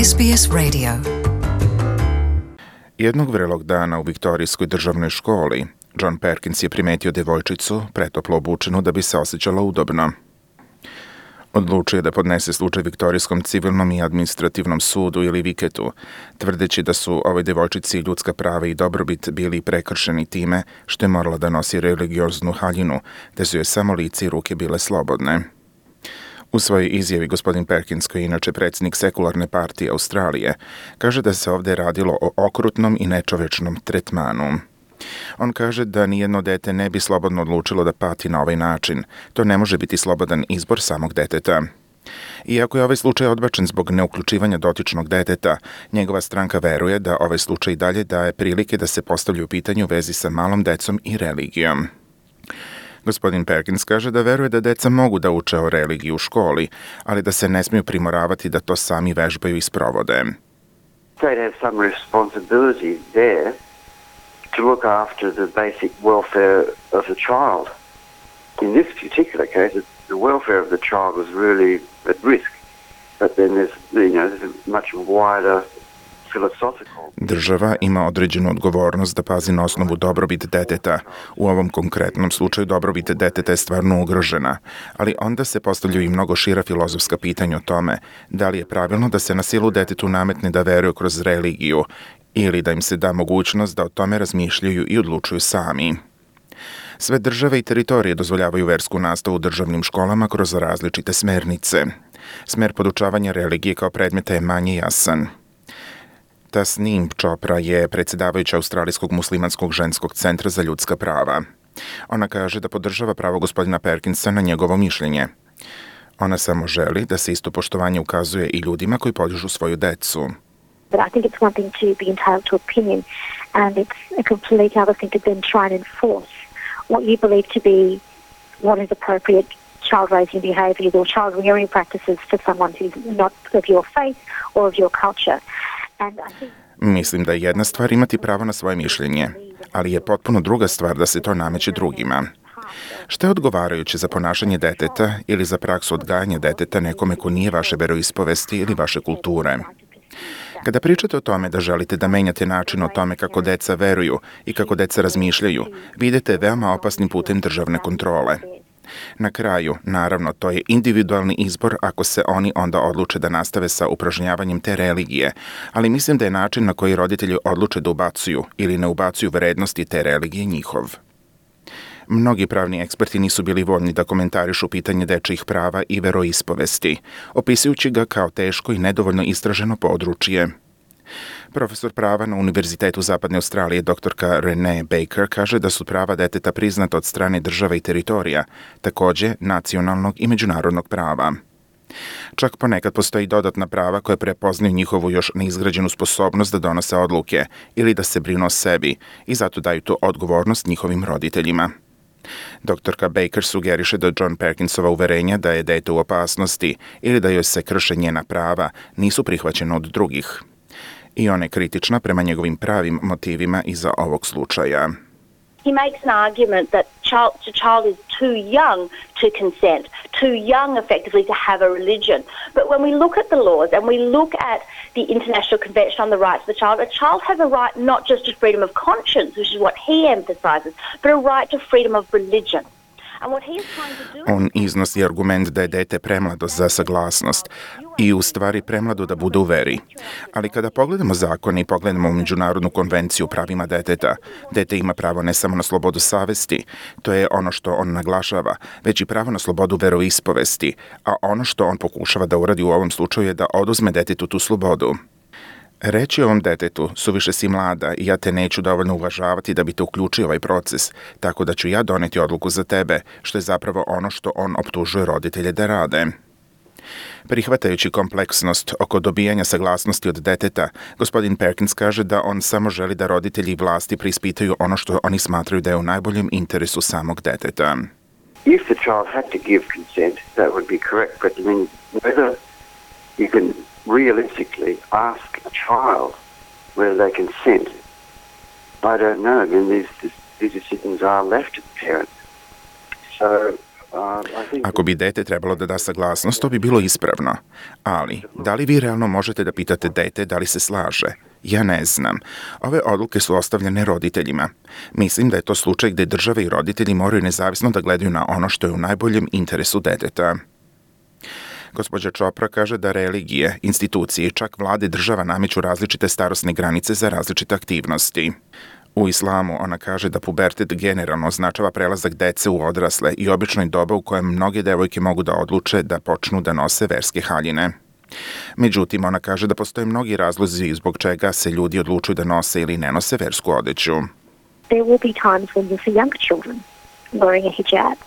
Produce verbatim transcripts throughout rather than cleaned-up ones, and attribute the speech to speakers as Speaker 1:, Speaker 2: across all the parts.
Speaker 1: S B S Radio.
Speaker 2: Jednog vrelog dana u Viktorijskoj državnoj školi, John Perkins je primetio devojčicu, pretoplo obučenu da bi se osjećala udobno. Odlučio je da podnese slučaj Viktorijskom civilnom i administrativnom sudu ili Viketu, tvrdeći da su ovoj devojčici ljudska prava i dobrobit bili prekršeni time što je morala da nosi religioznu haljinu, te su joj samo lice i ruke bile slobodne. U svojoj izjavi gospodin Perkins, koji je inače predsjednik sekularne partije Australije, kaže da se ovdje radilo o okrutnom i nečovečnom tretmanu. On kaže da nijedno dete ne bi slobodno odlučilo da pati na ovaj način. To ne može biti slobodan izbor samog deteta. Iako je ovaj slučaj odbačen zbog neuključivanja dotičnog deteta, njegova stranka veruje da ovaj slučaj i dalje daje prilike da se postavljaju pitanje u vezi sa malom decom i religijom. Gospodin Perkins kaže da veruje da deca mogu da uče o religiji u školi, ali da se ne smiju primoravati da to sami vežbaju i sprovode.
Speaker 3: They'd have some responsibility there to look after the basic welfare of the child. In this particular case, the welfare of the child was really at risk. But then there's, you know, there's a much wider philosophical...
Speaker 2: Država ima određenu odgovornost da pazi na osnovu dobrobit deteta. U ovom konkretnom slučaju dobrobit deteta je stvarno ugrožena, ali onda se postavljaju i mnogo šira filozofska pitanja o tome da li je pravilno da se na silu detetu nametne da veruje kroz religiju ili da im se da mogućnost da o tome razmišljaju i odlučuju sami. Sve države i teritorije dozvoljavaju versku nastavu u državnim školama kroz različite smernice. Smer podučavanja religije kao predmeta je manje jasan. Tasnim Chopra je predsjedavajuća Australijskog muslimanskog ženskog centra za ljudska prava. Ona kaže da podržava pravo gospodina Perkinsa na njegovo mišljenje. Ona samo želi da se isto poštovanje ukazuje i ljudima koji podižu svoju decu.
Speaker 4: But I think it's one thing to be entitled to opinion, and it's a completely other thing to then try and enforce what you believe to be what is appropriate child raising behaviours or child rearing practices for someone who's not of your faith or of your culture. And I think...
Speaker 2: Mislim da je jedna stvar imati pravo na svoje mišljenje, ali je potpuno druga stvar da se to nameće drugima. Šta je odgovarajuće za ponašanje deteta ili za praksu odgajanja deteta nekome ko nije vaše veroispovesti ili vaše kulture? Kada pričate o tome da želite da menjate način o tome kako deca veruju i kako deca razmišljaju, vi idete veoma opasnim putem državne kontrole. Na kraju, naravno, to je individualni izbor ako se oni onda odluče da nastave sa upražnjavanjem te religije, ali mislim da je način na koji roditelji odluče da ubacuju ili ne ubacuju vrednosti te religije njihov. Mnogi pravni eksperti nisu bili voljni da komentarišu pitanje dečjih prava i veroispovesti, opisujući ga kao teško i nedovoljno istraženo područje. Profesor prava na Univerzitetu Zapadne Australije doktorka Renee Baker kaže da su prava deteta priznata od strane država i teritorija, također nacionalnog i međunarodnog prava. Čak ponekad postoji dodatna prava koje prepoznaju njihovu još neizgrađenu sposobnost da donose odluke ili da se brinu o sebi i zato daju tu odgovornost njihovim roditeljima. Doktorka Baker sugeriše da John Perkinsova uverenja da je dete u opasnosti ili da joj se krše njena prava nisu prihvaćena od drugih. I ona je kritična prema njegovim pravim motivima iza ovog slučaja.
Speaker 5: He makes an argument that child, the child is too young to consent, too young effectively to have a religion. But when we look at the laws and we look at the International Convention on the Rights of the Child, a child has a right not just to freedom of conscience, which is what he emphasizes, but a right to freedom of religion.
Speaker 2: On iznosi argument da je dete premlado za saglasnost i u stvari premlado da bude u veri. Ali kada pogledamo zakon i pogledamo Međunarodnu konvenciju o pravima deteta, dete ima pravo ne samo na slobodu savesti, to je ono što on naglašava, već i pravo na slobodu veroispovesti, a ono što on pokušava da uradi u ovom slučaju je da oduzme detetu tu slobodu. Reći ovom detetu, suviše si mlada i ja te neću dovoljno uvažavati da bi te uključio ovaj proces, tako da ću ja doneti odluku za tebe, što je zapravo ono što on optužuje roditelje da rade. Prihvatajući kompleksnost oko dobijanja saglasnosti od deteta, gospodin Perkins kaže da on samo želi da roditelji i vlasti preispitaju ono što oni smatraju da je u najboljem interesu samog deteta.
Speaker 3: If the child had to give consent, that would be correct, but I mean, whether you can realistically ask a child whether they consent, I don't know. I mean, these, these decisions are left to the parent. So
Speaker 2: Ako bi dete trebalo da da saglasnost, to bi bilo ispravno. Ali, da li vi realno možete da pitate dete da li se slaže? Ja ne znam. Ove odluke su ostavljene roditeljima. Mislim da je to slučaj gde države i roditelji moraju nezavisno da gledaju na ono što je u najboljem interesu deteta. Gospođa Chopra kaže da religije, institucije i čak vlade država nameću različite starosne granice za različite aktivnosti. U islamu ona kaže da pubertet generalno označava prelazak dece u odrasle i obično je doba u kojem mnoge devojke mogu da odluče da počnu da nose verske haljine. Međutim, ona kaže da postoje mnogi razlozi zbog čega se ljudi odlučuju da nose ili ne nose versku odeću.
Speaker 4: There will be times when you see younger children wearing a hijab.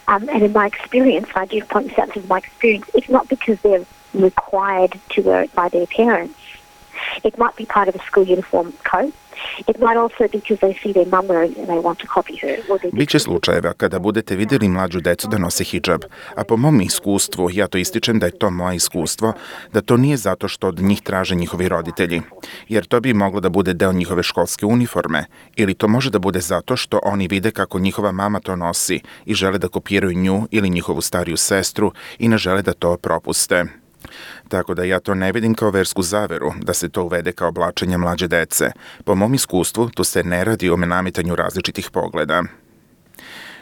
Speaker 4: Um, and in my experience, I do point this out as my experience, it's not because they're required to wear it by their parents. It might be part of a school uniform code. It might also be because they see their mum wearing it and they want to copy her.
Speaker 2: Biće slučajeva kada budete vidjeli mlađu decu da nose hidžab, a po mom iskustvu, ja to ističem da je to moje iskustvo, da to nije zato što od njih traže njihovi roditelji, jer to bi moglo da bude deo njihove školske uniforme, ili to može da bude zato što oni vide kako njihova mama to nosi i žele da kopiraju nju ili njihovu stariju sestru i ne žele da to propuste. Tako da ja to ne vidim kao versku zaveru, da se to uvede kao oblačenje mlađe dece. Po mom iskustvu, tu se ne radi o nametanju različitih pogleda.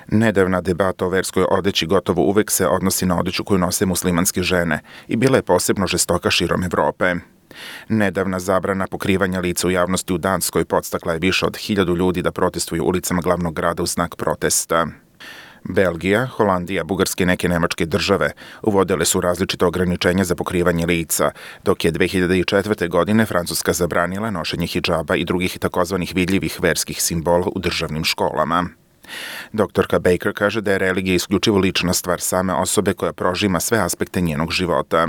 Speaker 2: Nedavna debata o verskoj odeći gotovo uvek se odnosi na odeću koju nose muslimanske žene i bila je posebno žestoka širom Evrope. Nedavna zabrana pokrivanja lica u javnosti u Danskoj podstakla je više od hiljadu ljudi da protestuju ulicama glavnog grada u znak protesta. Belgija, Holandija, Bugarske i neke nemačke države uvodile su različite ograničenja za pokrivanje lica, dok je dve hiljade četvrte. godine Francuska zabranila nošenje hidžaba i drugih takozvanih vidljivih verskih simbola u državnim školama. Doktorka Baker kaže da je religija isključivo lična stvar same osobe koja prožima sve aspekte njenog života.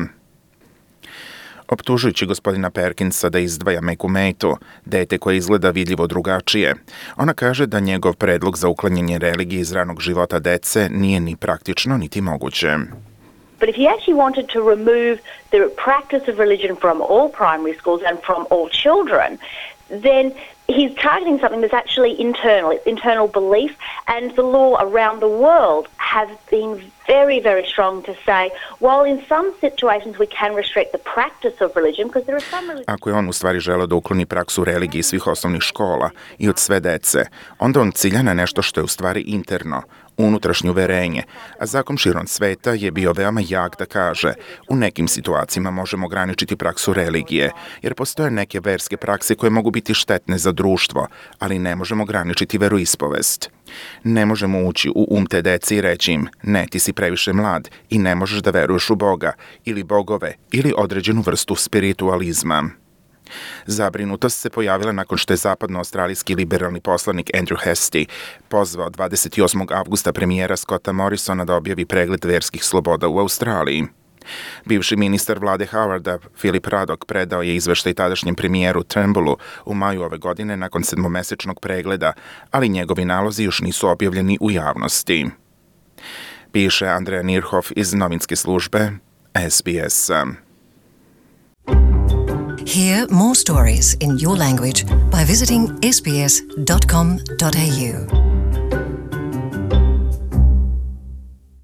Speaker 2: Optužujući gospodina Perkinsa da izdvaja Meku Meitu, dete koje izgleda vidljivo drugačije, ona kaže da njegov predlog za uklanjanje religije iz ranog života dece nije ni praktično niti moguće.
Speaker 5: But if he actually wanted to remove the practice of religion from all primary schools and from all children, then he's targeting something that's actually internal. It's internal belief, and the law around the world has been very, very strong to say, while in some situations we can restrict the practice of religion, because there are some religions...
Speaker 2: Ako je on u stvari želeo da ukloni praksu religije svih osnovnih škola i od sve dece, onda on cilja na nešto što je u stvari interno, unutrašnje uverenje, a zakon širom sveta je bio veoma jak da kaže u nekim situacijama možemo ograničiti praksu religije, jer postoje neke verske prakse koje mogu biti štetne za društvo, ali ne možemo ograničiti veroispovest. Ne možemo ući u um te dece i reći im, ne, ti si previše mlad i ne možeš da veruješ u Boga ili bogove ili određenu vrstu spiritualizma. Zabrinutost se pojavila nakon što je zapadno-australijski liberalni poslanik Andrew Hastie pozvao dvadeset osmog avgusta premijera Scotta Morrisona da objavi pregled verskih sloboda u Australiji. Bivši ministar vlade Howarda, Philip Ruddock, predao je izveštaj tadašnjem premijeru Turnbullu u maju ove godine nakon sedmomesečnog pregleda, ali njegovi nalozi još nisu objavljeni u javnosti. Piše Andrea Nirhoff iz novinske službe S B S-a.
Speaker 1: Hear more stories in your language by visiting s b s dot com dot a u.